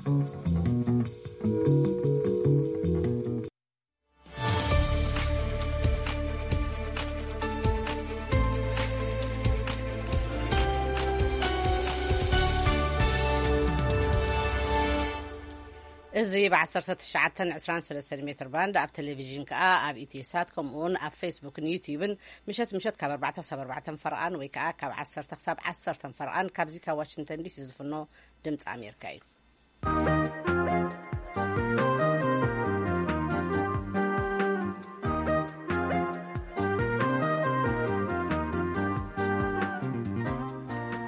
እዚ ብ1923 ሜትር ባንድ ኣብ ቴሌቪዥን ከኣ ኣብ ኢትዮ ሳት ከምኡ እውን ኣብ ፌስቡክን ዩቲዩብን ምሸት ምሸት ካብ ኣርባዕተ ክሳብ ኣርባዕተ ፈርቓን ወይ ከኣ ካብ ዓሰርተ ክሳብ ዓሰርተ ፈርቓን ካብዚ ካብ ዋሽንግተን ዲሲ ዝፍኖ ድምፂ ኣሜሪካ እዩ።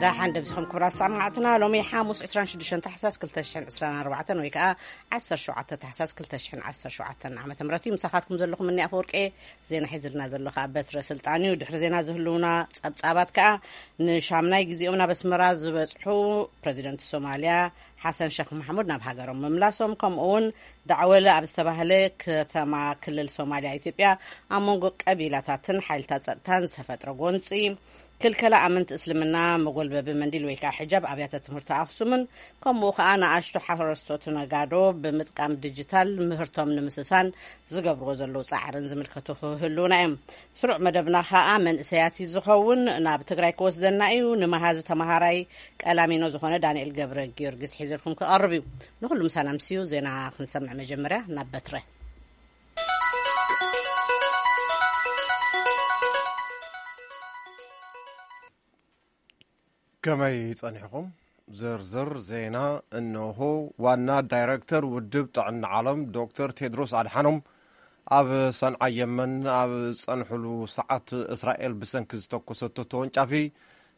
ዳሓን ደብስኹም ክብራት ሰማዕትና፣ ሎሚ ሓሙስ ዕስራን ሽዱሽተን ታሕሳስ ክልተ ሽሕን ዕስራን ኣርባዕተን ወይ ከኣ ዓሰርተ ሸውዓተ ታሕሳስ ክልተ ሽሕን ዓሰርተ ሸውዓተን ዓመተ ምህረት እዩ። ምሳኻትኩም ዘለኹም እኒ ኣፈወርቄ፣ ዜና ሒዝልና ዘሎ ከኣ በትረ ስልጣን እዩ። ድሕሪ ዜና ዝህልውና ጸብጻባት ከኣ ንሻምናይ ግዜኦም ናብ ኣስመራ ዝበጽሑ ፕረዚደንት ሶማልያ ሓሰን ሸኽ ማሕሙድ ናብ ሃገሮም ምምላሶም፣ ከምኡ እውን ዳዕወለ ኣብ ዝተባህለ ከተማ ክልል ሶማልያ ኢትዮጵያ ኣብ መንጎ ቀቢላታትን ሓይልታት ጸጥታን ዝተፈጥረ ጎንጺ፣ ክልከላ ኣመንቲ እስልምና መጎልበቢ መንዲል ወይ ከዓ ሕጃብ ኣብያተ ትምህርቲ ኣኽሱምን ከምኡ ከዓ ንኣሽቱ ሓረስቶት ነጋዶ ብምጥቃም ዲጂታል ምህርቶም ንምስሳን ዝገብርዎ ዘለዉ ጻዕርን ዝምልከቱ ክህልዉና እዮም። ስሩዕ መደብና ከዓ መንእሰያት እዩ ዝኸውን። ናብ ትግራይ ክወስደና እዩ። ንመሃዚ ተምሃራይ ቀላሚኖ ዝኾነ ዳንኤል ገብረ ጊዮርጊስ ሒዘልኩም ክቐርብ እዩ። ንኹሉ ምሳና ምስዩ ዜና ክንሰምዕ መጀመርያ ናብ በትረ። ከመይ ጸኒሕኹም? ዝርዝር ዜና እንሆ። ዋና ዳይረክተር ውድብ ጥዕና ዓለም ዶክተር ቴድሮስ ኣድሓኖም ኣብ ሰንዓ የመን ኣብ ዝጸንሕሉ ሰዓት እስራኤል ብሰንኪ ዝተኮሰቶ ተወንጫፊ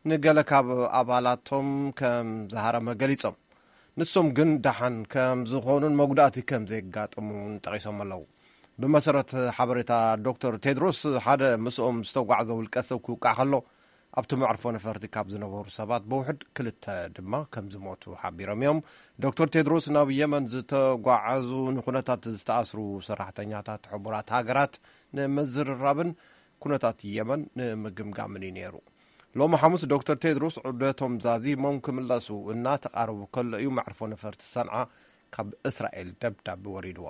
ንገለ ካብ ኣባላቶም ከም ዝሃረመ ገሊጾም። ንሶም ግን ደሓን ከም ዝኾኑን መጉዳእቲ ከም ዘየጋጠሙን ጠቒሶም ኣለዉ። ብመሰረት ሓበሬታ ዶክተር ቴድሮስ፣ ሓደ ምስኦም ዝተጓዕዘ ውልቀ ሰብ ክውቃዕ ከሎ፣ ኣብቲ መዕርፎ ነፈርቲ ካብ ዝነበሩ ሰባት ብውሕድ ክልተ ድማ ከም ዝሞቱ ሓቢሮም እዮም። ዶክተር ቴድሮስ ናብ የመን ዝተጓዓዙ ንኩነታት ዝተኣስሩ ሰራሕተኛታት ሕቡራት ሃገራት ንምዝርራብን ኩነታት የመን ንምግምጋምን እዩ ነይሩ። ሎሚ ሓሙስ ዶክተር ቴድሮስ ዑደቶም ዛዚሞም ክምለሱ እናተቓረቡ ከሎ እዩ መዕርፎ ነፈርቲ ሰንዓ ካብ እስራኤል ደብዳብ ወሪድዎ።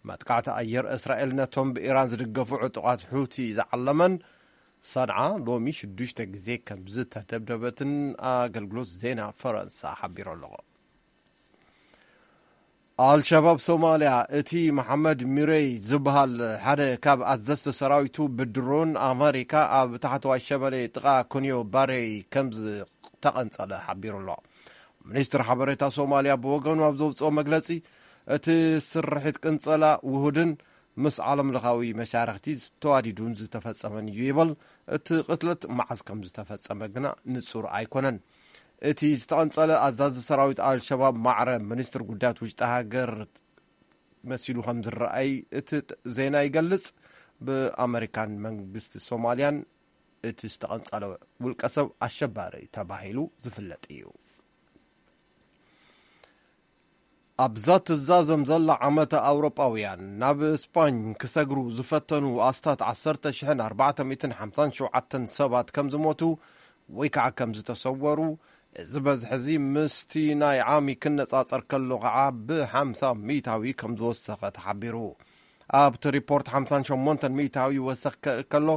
መጥቃዕቲ ኣየር እስራኤል ነቶም ብኢራን ዝድገፉ ዕጡቓት ሑቲ ዝዓለመን ሰንዓ ሎሚ ሽዱሽተ ግዜ ከም ዝተደብደበትን ኣገልግሎት ዜና ፈረንሳ ሓቢሩ ኣሎ። ኣልሸባብ ሶማልያ፣ እቲ መሓመድ ሚረይ ዝበሃል ሓደ ካብ ኣዘዝቲ ሰራዊቱ ብድሮን ኣመሪካ ኣብ ታሕተዋይ ሸበሌ ጥቓ ኮንዮ ባሬ ከም ዝተቐንጸለ ሓቢሩ ኣሎ። ሚኒስትር ሓበሬታ ሶማልያ ብወገኑ ኣብ ዘውፅኦ መግለፂ፣ እቲ ስርሒት ቅንጸላ ውሁድን ምስ ዓለም ለኻዊ መሻርኽቲ ዝተዋዲዱን ዝተፈጸመን እዩ ይበል። እቲ ቅትለት መዓዝ ከም ዝተፈጸመ ግና ንጹር ኣይኮነን። እቲ ዝተቐንጸለ ኣዛዚ ሰራዊት ኣልሸባብ ማዕረ ሚኒስትር ጉዳያት ውሽጢ ሃገር መሲሉ ከም ዝረኣይ እቲ ጥ-፣ ዜና ይገልጽ። ብኣመሪካን መንግስቲ ሶማልያን እቲ ዝተቐንጸለ ውልቀ ሰብ ኣሸባሪ ተባሂሉ ዝፍለጥ እዩ። ኣብዛ ትዛዘም ዘላ ዓመተ ኣውሮጳውያን፣ ናብ ስፓኝ ክሰግሩ ዝፈተኑ ኣስታት ዓሰርተ ሽሕን ኣርባዕተ ሚእትን ሓምሳን ሸውዓተን ሰባት ከም ዝሞቱ ወይ ከዓ ከም ዝተሰወሩ፣ እዚ በዝሒ እዚ ምስቲ ናይ ዓሚ ክነጻጸር ከሎ ከዓ ብሓምሳ ሚእታዊ ከም ዝወሰኸ ተሓቢሩ። ኣብቲ ሪፖርት ሓምሳን ሸሞንተን ሚእታዊ ወሰኽ ከ-፣ ከሎ፣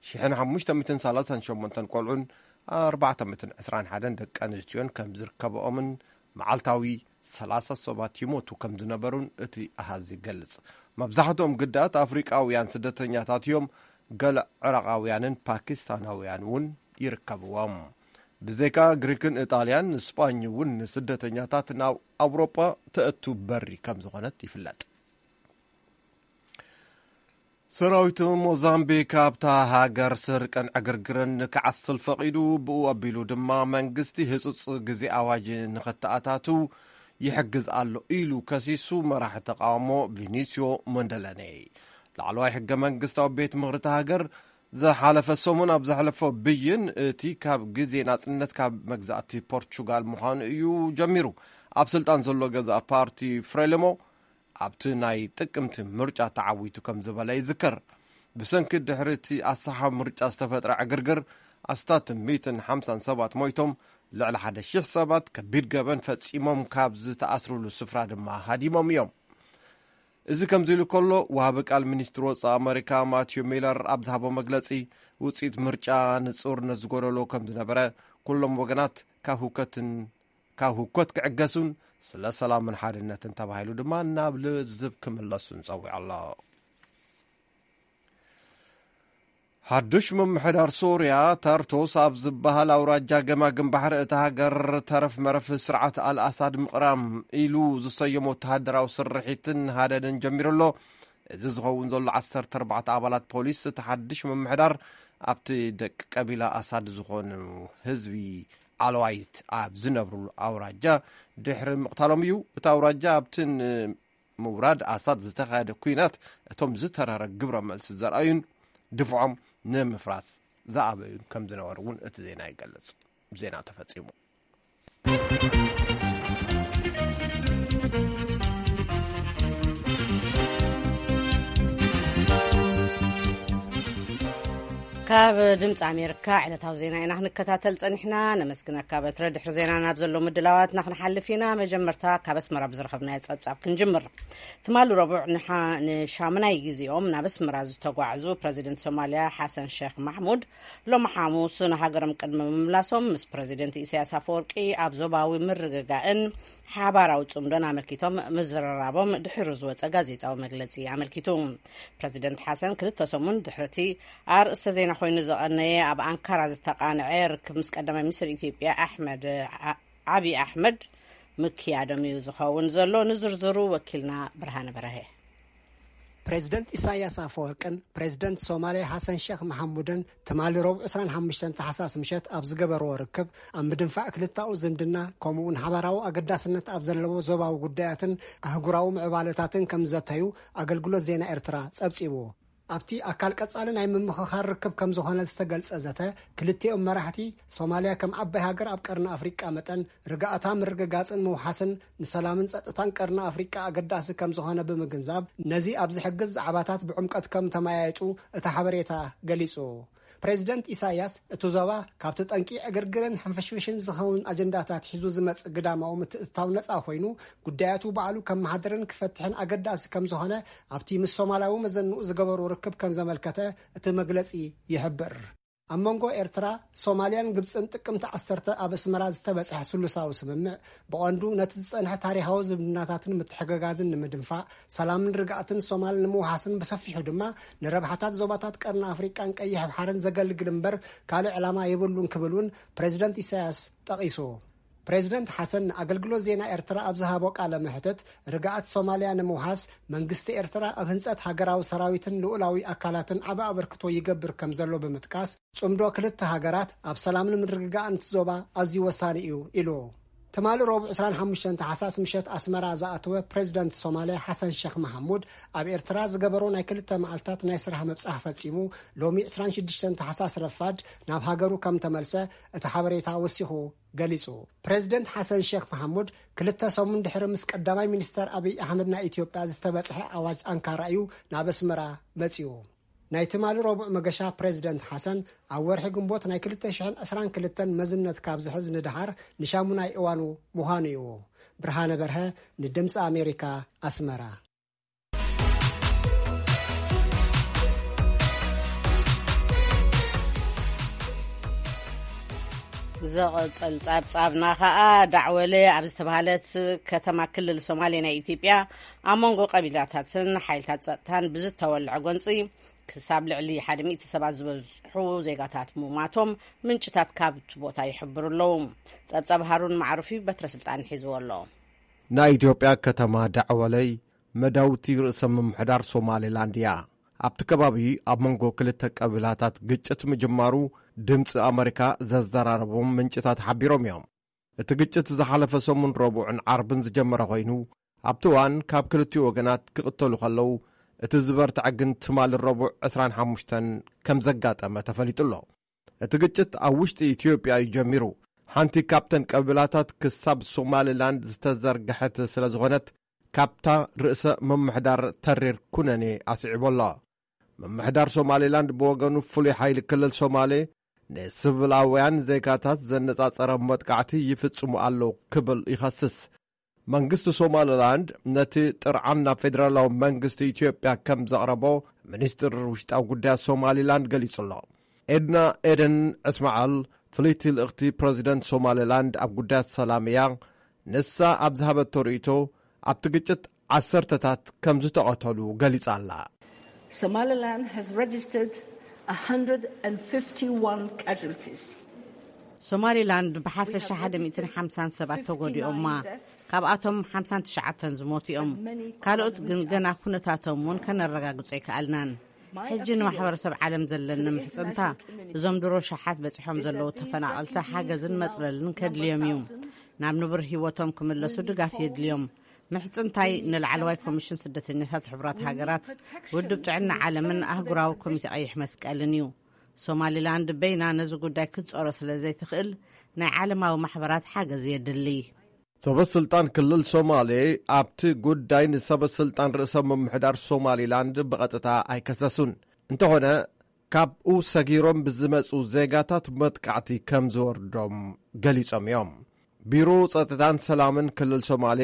ሽሕን ሓሙሽተ ሚእትን ሰላሳን ሸሞንተን ቆልዑን ኣርባዕተ ሚእትን ዕስራን ሓደን ደቂ ኣንስትዮን ከም ዝርከብኦምን መዓልታዊ ሰላሳ ሰባት ይሞቱ ከም ዝነበሩን እቲ ኣሃዝ ይገልጽ። መብዛሕትኦም ግዳያት ኣፍሪቃውያን ስደተኛታት እዮም። ገለ ዕራቓውያንን ፓኪስታናውያን እውን ይርከብዎም። ብዘይካ ግሪክን ኢጣልያን፣ ስጳኝ እውን ንስደተኛታት ናብ ኣውሮጳ ተእቱ በሪ ከም ዝኾነት ይፍለጥ። ሰራዊት ሞዛምቢክ ኣብታ ሃገር ስርቅን ዕግርግርን ክዓስል ፈቒዱ፣ ብኡ ኣቢሉ ድማ መንግስቲ ህጹጽ ግዜ ኣዋጅ ንኸተኣታቱ ይሕግዝ ኣሎ ኢሉ ከሲሱ መራሒ ተቃውሞ ቪኒስዮ ሞንደለኔ። ላዕለዋይ ሕገ መንግስታዊ ቤት ምኽሪ እታ ሃገር ዝሓለፈ ሰሙን ኣብ ዘሕለፎ ብይን፣ እቲ ካብ ግዜ ናጽነት ካብ መግዛእቲ ፖርቹጋል ምዃኑ እዩ ጀሚሩ። ኣብ ስልጣን ዘሎ ገዛእ ፓርቲ ፍሬሊሞ ኣብቲ ናይ ጥቅምቲ ምርጫ ተዓዊቱ ከም ዝበለ ይዝከር። ብሰንኪ ድሕሪ እቲ ኣሰሓቢ ምርጫ ዝተፈጥረ ዕግርግር ኣስታት ሚእትን ሓምሳን ሰባት ሞይቶም፣ ልዕሊ ሓደ ሽሕ ሰባት ከቢድ ገበን ፈጺሞም ካብ ዝተኣስሩሉ ስፍራ ድማ ሃዲሞም እዮም። እዚ ከምዚ ኢሉ ከሎ፣ ወሃቢ ቃል ሚኒስትሪ ወጻኢ ኣመሪካ ማቲዩ ሚለር ኣብ ዝሃቦ መግለጺ፣ ውጽኢት ምርጫ ንጹርነት ዝጎደሎ ከም ዝነበረ፣ ኩሎም ወገናት ካብ ህውከትን ካብ ህውከት ክዕገሱን ስለ ሰላምን ሓድነትን ተባሂሉ ድማ ናብ ልዝብ ክምለሱን ጸዊዑ ኣሎ። ሓዱሽ ምምሕዳር ሶርያ ታርቶስ ኣብ ዝበሃል ኣውራጃ ገማግም ባሕሪ እታ ሃገር ተረፍ መረፍ ስርዓት ኣልኣሳድ ምቕራም ኢሉ ዝሰየሞ ወተሃደራዊ ስርሒትን ሃደንን ጀሚሩ ኣሎ። እዚ ዝኸውን ዘሎ ዓሰርተ ኣርባዕተ ኣባላት ፖሊስ እቲ ሓድሽ ምምሕዳር ኣብቲ ደቂ ቀቢላ ኣሳድ ዝኾኑ ህዝቢ ዓለዋይት ኣብ ዝነብሩሉ ኣውራጃ ድሕሪ ምቕታሎም እዩ። እቲ ኣውራጃ ኣብቲ ምውራድ ኣሳድ ዝተኻየደ ኲናት እቶም ዝተረረ ግብረ መልሲ ዘርኣዩን ድፍዖም ንምፍራስ ዝኣበዩን ከም ዝነበሩ እውን እቲ ዜና ይገልጽ። ዜና ተፈጺሙ። ካብ ድምፂ ኣሜሪካ ዕለታዊ ዜና ኢና ክንከታተል ፀኒሕና። ነመስግነካ በትረ። ድሕሪ ዜና ናብ ዘሎ ምድላዋትና ክንሓልፍ ኢና። መጀመርታ ካብ ኣስመራ ብዝረኸብናዮ ፀብፃብ ክንጅምር። ትማሊ ረቡዕ ንሓ- ንሻምናይ ግዜኦም ናብ ኣስመራ ዝተጓዕዙ ፕረዚደንት ሶማልያ ሓሰን ሼክ ማሕሙድ፣ ሎሚ ሓሙስ ንሃገሮም ቅድሚ ምምላሶም ምስ ፕረዚደንት ኢሳያስ ኣፈወርቂ ኣብ ዞባዊ ምርግጋእን ሓባራዊ ጽምዶን ኣመልኪቶም ምዝርራቦም ድሕሪ ዝወጸ ጋዜጣዊ መግለጺ ኣመልኪቱ። ፕረዚደንት ሓሰን ክልተ ሰሙን ድሕሪቲ ኣርእስተ ዜና ኮይኑ ዝቐነየ ኣብ ኣንካራ ዝተቓንዐ ርክብ ምስ ቀዳማይ ሚኒስትር ኢትዮጵያ ኣሕመድ ዓ- ዓቢ ኣሕመድ ምክያዶም እዩ ዝኸውን ዘሎ። ንዝርዝሩ ወኪልና ብርሃነ በረሀ። ፕሬዝደንት ኢሳያስ ኣፈወርቅን ፕሬዝደንት ሶማልያ ሓሰን ሼክ መሐሙድን ትማሊ ረቡዕ ዕስራን ሓሙሽተን ታሕሳስ ምሸት ኣብ ዝገበርዎ ርክብ፣ ኣብ ምድንፋዕ ክልተኣዊ ዝምድና ከምኡውን ሓባራዊ ኣገዳስነት ኣብ ዘለዎ ዞባዊ ጉዳያትን ኣህጉራዊ ምዕባለታትን ከም ዘተዩ ኣገልግሎት ዜና ኤርትራ ጸብጺቡ። ኣብቲ ኣካል ቀጻሊ ናይ ምምኽኻር ርክብ ከም ዝኾነ ዝተገልጸ ዘተ፣ ክልቲኦም መራሕቲ፣ ሶማልያ ከም ዓባይ ሃገር ኣብ ቀርኒ ኣፍሪቃ መጠን ርግኣታ ምርግጋጽን ምውሓስን ንሰላምን ጸጥታን ቀርኒ ኣፍሪቃ ኣገዳሲ ከም ዝኾነ ብምግንዛብ፣ ነዚ ኣብ ዝሕግዝ ዛዕባታት ብዕምቀት ከም ተመያየጡ እቲ ሓበሬታ ገሊጹ። ፕሬዚደንት ኢሳያስ፣ እቲ ዞባ ካብቲ ጠንቂ ዕግርግርን ሕንፍሽፍሽን ዝኸውን ኣጀንዳታት ሒዙ ዝመጽእ ግዳማዊ ምትእትታው ነጻ ኮይኑ፣ ጉዳያቱ ባዕሉ ከመሓድርን ክፈትሕን ኣገዳሲ ከም ዝኾነ ኣብቲ ምስ ሶማላዊ መዘንኡ ዝገበሮ ርክብ ከም ዘመልከተ እቲ መግለጺ ይሕብር። ኣብ መንጎ ኤርትራ፣ ሶማልያን ግብጽን ጥቅምቲ ዓሰርተ ኣብ ኣስመራ ዝተበጽሐ ስሉሳዊ ስምምዕ፣ ብቐንዱ ነቲ ዝጸንሐ ታሪኻዊ ዝምድናታትን ምትሕግጋዝን ንምድንፋዕ፣ ሰላምን ርግኣትን ሶማል ንምውሓስን ብሰፊሑ ድማ ንረብሓታት ዞባታት ቀርኒ ኣፍሪቃን ቀይሕ ባሕርን ዘገልግል እምበር ካልእ ዕላማ የብሉን ክብል እውን ፕሬዚደንት ኢሳያስ ጠቒሱ። ፕሬዚደንት ሓሰን ንኣገልግሎት ዜና ኤርትራ ኣብ ዝሃቦ ቃለ መሕትት፣ ርግኣት ሶማልያ ንምውሓስ መንግስቲ ኤርትራ ኣብ ህንጸት ሃገራዊ ሰራዊትን ልኡላዊ ኣካላትን ዓቢ ኣበርክቶ ይገብር ከም ዘሎ ብምጥቃስ፣ ጽምዶ ክልተ ሃገራት ኣብ ሰላምን ምርግጋእን እቲ ዞባ ኣዝዩ ወሳኒ እዩ ኢሉ። ትማሊ ረቡዕ ዕስራን ሓሙሽተን ታሕሳስ ምሸት ኣስመራ ዝኣተወ ፕሬዚደንት ሶማልያ ሓሰን ሼክ መሐሙድ፣ ኣብ ኤርትራ ዝገበሮ ናይ ክልተ መዓልታት ናይ ስራሕ ምብጻሕ ፈጺሙ፣ ሎሚ ዕስራን ሽዱሽተን ታሕሳስ ረፋድ ናብ ሃገሩ ከም ተመልሰ እቲ ሓበሬታ ወሲኹ ገሊጹ። ፕሬዚደንት ሓሰን ሼክ መሐሙድ ክልተ ሰሙን ድሕሪ ምስ ቀዳማይ ሚኒስተር ኣብይ ኣሕመድ ናይ ኢትዮጵያ ዝተበጽሐ ኣዋጅ ኣንካራ እዩ ናብ ኣስመራ መጺኡ። ናይ ትማሊ ረቡዕ መገሻ ፕሬዚደንት ሓሰን ኣብ ወርሒ ግንቦት ናይ ክልተ ሽሕን ዕስራን ክልተን መዝነት ካብ ዝሕዝ ንደሓር ንሻሙናይ እዋኑ ምዃኑ እዩ። ብርሃነ በርሀ ንድምፂ ኣሜሪካ፣ ኣስመራ። ዝቕጽል ጸብጻብና ኸኣ፣ ዳዕወለ ኣብ ዝተባህለት ከተማ ክልል ሶማሌ ናይ ኢትዮጵያ፣ ኣብ መንጎ ቀቢላታትን ሓይልታት ጸጥታን ብዝተወልዐ ጎንጺ፣ ክሳብ ልዕሊ ሓደ ሚእቲ ሰባት ዝበዝሑ ዜጋታት ምሟቶም ምንጭታት ካብቲ ቦታ ይሕብሩ ኣለዉ። ጸብጻብ ሃሩን ማዕሩፊ በትረ ስልጣን ሒዝዎ ኣሎ። ናይ ኢትዮጵያ ከተማ ዳዕወለይ መዳውቲ ርእሰ ምምሕዳር ሶማሌላንድ እያ። ኣብቲ ከባቢ ኣብ መንጎ ክልተ ቀቢላታት ግጭት ምጅማሩ ድምፂ ኣመሪካ ዘዘራረቦም ምንጭታት ሓቢሮም እዮም። እቲ ግጭት ዝሓለፈ ሰሙን ረቡዕን ዓርብን ዝጀመረ ኮይኑ፣ ኣብቲ እዋን ካብ ክልቲኡ ወገናት ክቕተሉ ከለዉ፣ እቲ ዝበርትዐ ግን ትማሊ ረቡዕ ዕስራን ሓሙሽተን ከም ዘጋጠመ ተፈሊጡ ኣሎ። እቲ ግጭት ኣብ ውሽጢ ኢትዮጵያ እዩ ጀሚሩ። ሓንቲ ካብተን ቀቢላታት ክሳብ ሶማሊላንድ ዝተዘርግሐት ስለ ዝኾነት፣ ካብታ ርእሰ ምምሕዳር ተሪር ኩነኔ ኣስዒቡ ኣሎ። ምምሕዳር ሶማሊላንድ ብወገኑ፣ ፍሉይ ሓይሊ ክልል ሶማሌ ንስቪላውያን ዜጋታት ዘነጻጸረ መጥቃዕቲ ይፍጽሙ ኣለዉ ክብል ይኸስስ። መንግስቲ ሶማሊላንድ ነቲ ጥርዓን ናብ ፌደራላዊ መንግስቲ ኢትዮጵያ ከም ዘቕረቦ ሚኒስትር ውሽጣዊ ጉዳያት ሶማሊላንድ ገሊጹ ኣሎ። ኤድና ኤደን ዕስማዓል ፍልይቲ ልእኽቲ ፕረዚደንት ሶማሊላንድ ኣብ ጉዳያት ሰላም እያ። ንሳ ኣብ ዝሃበቶ ርእይቶ ኣብቲ ግጭት ዓሰርተታት ከም ዝተቐተሉ ገሊጻ ኣላ። Somaliland has registered one hundred fifty-one casualties. ሶማሊላንድ ብሓፈሻ ሓደ ሚእትን ሓምሳን ሰባት ተጎዲኦማ፣ ካብኣቶም ሓምሳን ትሽዓተን ዝሞቱ እዮም። ካልኦት ግን ገና ኩነታቶም እውን ከነረጋግጾ ኣይከኣልናን። ሕጂ ንማሕበረሰብ ዓለም ዘለኒ ምሕጽንታ፣ እዞም ድሮ ሸሓት በጺሖም ዘለዉ ተፈናቐልቲ ሓገዝን መጽለልን ከድልዮም እዩ። ናብ ንቡር ህይወቶም ክምለሱ ድጋፍ የድልዮም። ምሕጽንታይ ንላዕለዋይ ኮሚሽን ስደተኛታት ሕቡራት ሃገራት፣ ውድብ ጥዕና ዓለምን ኣህጉራዊ ኮሚቴ ቀይሕ መስቀልን እዩ። ሶማሊላንድ በይና ነዚ ጉዳይ ክትጾሮ ስለ ዘይትኽእል፣ ናይ ዓለማዊ ማሕበራት ሓገዝ የድሊ። ሰበ ስልጣን ክልል ሶማሌ ኣብቲ ጉዳይ ንሰበ ስልጣን ርእሰ ምምሕዳር ሶማሊላንድ ብቐጥታ ኣይከሰሱን። እንተኾነ፣ ካብኡ ሰጊሮም ብዝመጹ ዜጋታት መጥቃዕቲ ከም ዝወርዶም ገሊጾም እዮም። ቢሮ ጸጥታን ሰላምን ክልል ሶማሌ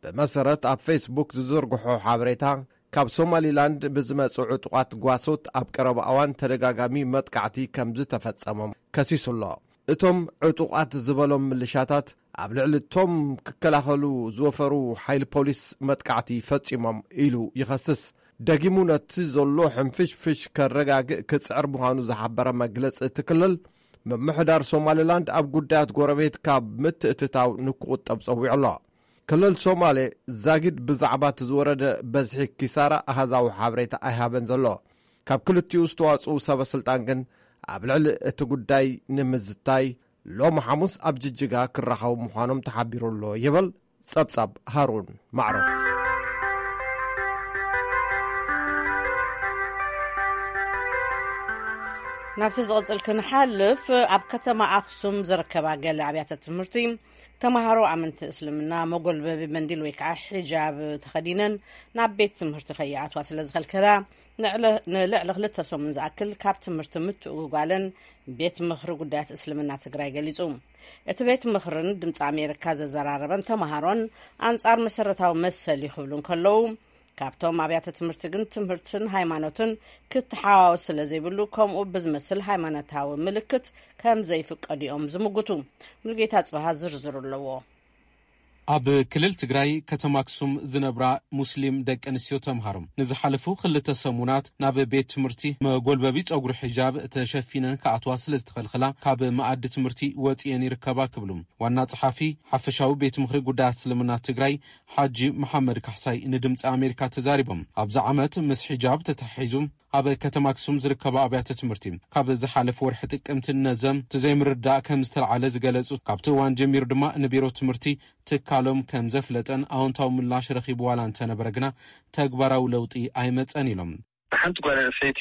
ብመሰረት ኣብ ፌስቡክ ዝዝርግሖ ሓበሬታ፣ ካብ ሶማሊላንድ ብዝመጹ ዕጡቓት ጓሶት ኣብ ቀረባ እዋን ተደጋጋሚ መጥቃዕቲ ከም ዝተፈጸሞም ከሲሱ ኣሎ። እቶም ዕጡቓት ዝበሎም ምልሻታት ኣብ ልዕሊ እቶም ክከላኸሉ ዝወፈሩ ሓይሊ ፖሊስ መጥቃዕቲ ፈጺሞም ኢሉ ይኸስስ። ደጊሙ ነቲ ዘሎ ሕንፍሽፍሽ ከረጋግእ ክጽዕር ምዃኑ ዝሓበረ መግለጺ እቲ ክልል፣ ምምሕዳር ሶማሊላንድ ኣብ ጉዳያት ጎረቤት ካብ ምትእትታው ንክቑጠብ ጸዊዑ ኣሎ። ክልል ሶማሌ ዛጊድ ብዛዕባ እቲ ዝወረደ በዝሒ ኪሳራ ኣሃዛዊ ሓበሬታ ኣይሃበን ዘሎ። ካብ ክልቲኡ ዝተዋጽኡ ሰበ ስልጣን ግን ኣብ ልዕሊ እቲ ጉዳይ ንምዝታይ ሎሚ ሓሙስ ኣብ ጅጅጋ ክራኸቡ ምዃኖም ተሓቢሩ ኣሎ ይብል ጸብጻብ ሃሩን ማዕሩፍ። ናብቲ ዝቕጽል ክንሓልፍ፣ ኣብ ከተማ ኣኽሱም ዝርከባ ገለ ኣብያተ ትምህርቲ ተምሃሮ ኣመንቲ እስልምና መጎልበቢ መንዲል ወይ ከዓ ሒጃብ ተኸዲነን ናብ ቤት ትምህርቲ ከይኣትዋ ስለ ዝኸልከላ፣ ንዕለ- ንልዕሊ ክልተ ሰሙን ዝኣክል ካብ ትምህርቲ ምትእጉጓለን ቤት ምኽሪ ጉዳያት እስልምና ትግራይ ገሊጹ። እቲ ቤት ምኽርን ድምፂ ኣሜሪካ ዘዘራረበን ተምሃሮን ኣንጻር መሰረታዊ መሰል እዩ ክብሉ እንከለዉ፣ ካብቶም ኣብያተ ትምህርቲ ግን ትምህርትን ሃይማኖትን ክትሓዋወስ ስለ ዘይብሉ፣ ከምኡ ብዝመስል ሃይማኖታዊ ምልክት ከም ዘይፍቀዱ እዮም ዝምጉቱ። ሙሉጌታ ጽባሃ ዝርዝሩ ኣለዎ። ኣብ ክልል ትግራይ ከተማ ኣክሱም ዝነብራ ሙስሊም ደቂ ኣንስትዮ ተምሃሮ ንዝሓለፉ ክልተ ሰሙናት ናብ ቤት ትምህርቲ መጎልበቢ ጸጉሪ ሒጃብ ተሸፊነን ክኣትዋ ስለ ዝተኸልኸላ፣ ካብ መኣዲ ትምህርቲ ወጺኤን ይርከባ ክብሉ ዋና ጸሓፊ ሓፈሻዊ ቤት ምኽሪ ጉዳያት እስልምና ትግራይ ሓጂ መሓመድ ካሕሳይ ንድምፂ ኣሜሪካ ተዛሪቦም። ኣብዚ ዓመት ምስ ሒጃብ ተተሓሒዙ ኣብ ከተማ ኣክሱም ዝርከባ ኣብያተ ትምህርቲ ካብ ዝሓለፈ ወርሒ ጥቅምቲ ነዘም እቲ ዘይምርዳእ ከም ዝተለዓለ ዝገለጹ፣ ካብቲ እዋን ጀሚሩ ድማ ንቢሮ ትምህርቲ ትካሎም ከም ዘፍለጠን ኣወንታዊ ምላሽ ረኺቡ ዋላ እንተነበረ ግና ተግባራዊ ለውጢ ኣይመጸን ኢሎም። ሓንቲ ጓል ኣንስተይቲ